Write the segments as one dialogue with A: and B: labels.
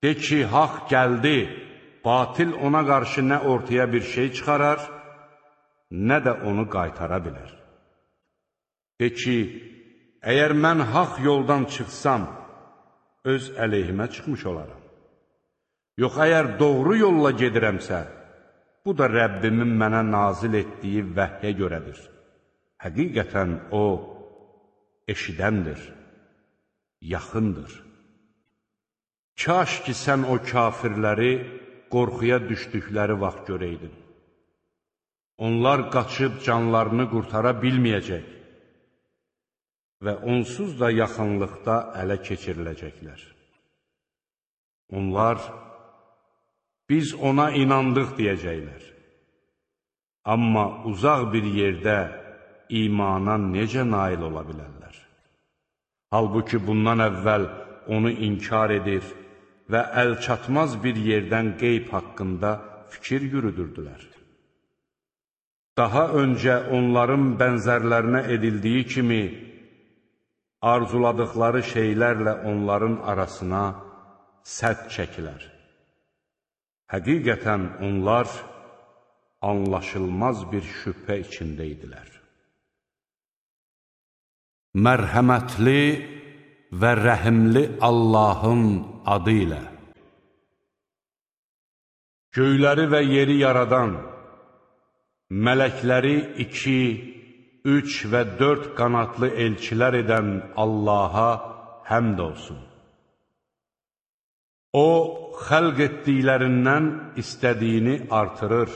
A: De ki, haqq gəldi, batil ona qarşı nə ortaya bir şey çıxarar, nə də onu qaytara bilər. De ki, əgər mən haqq yoldan çıxsam, öz əleyhimə çıxmış olaram. Yox, əgər doğru yolla gedirəmsə, bu da Rəbbimin mənə nazil etdiyi vəhyə görədir. Həqiqətən o, eşidəndir, yaxındır. Kaş ki, sən o kafirləri qorxuya düşdükləri vaxt görəydin. Onlar qaçıb canlarını qurtara bilməyəcək və onsuz da yaxınlıqda ələ keçiriləcəklər. Onlar, biz ona inandıq deyəcəklər. Amma uzaq bir yerdə imana necə nail ola bilərlər? Halbuki bundan əvvəl onu inkar edir və əlçatmaz bir yerdən qeyb haqqında fikir yürüdürdülər. Daha öncə onların bənzərlərinə edildiyi kimi, arzuladıqları şeylərlə onların arasına sədd çəkilər. Həqiqətən onlar anlaşılmaz bir şübhə içində idilər. Mərhəmətli və rəhimli Allahın adı ilə. Göyləri və yeri yaradan, mələkləri 2, 3 və 4 qanadlı elçilər edən Allaha həmd olsun. O, xəlq etdiklərindən istədiyini artırır.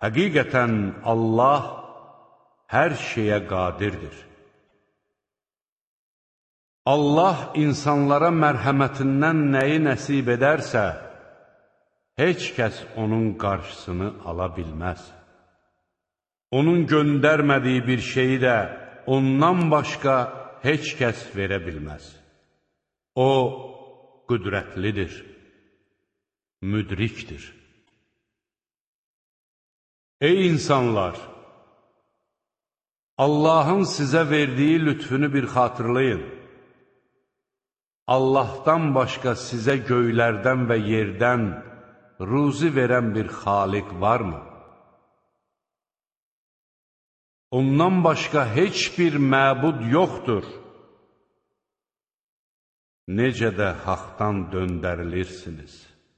A: Həqiqətən Allah hər şeyə qadirdir. Allah insanlara mərhəmətindən nəyi nəsib edərsə, heç kəs onun qarşısını ala bilməz. Onun göndərmədiyi bir şeyi də ondan başqa heç kəs verə bilməz. O, qüdrətlidir, müdrikdir. Ey insanlar! Allahın sizə verdiyi lütfünü bir xatırlayın. Allahdan başqa sizə göylərdən və yerdən ruzi verən bir xaliq varmı? Ondan başqa heç bir məbud yoxdur. Necə də haqdan döndərilirsiniz.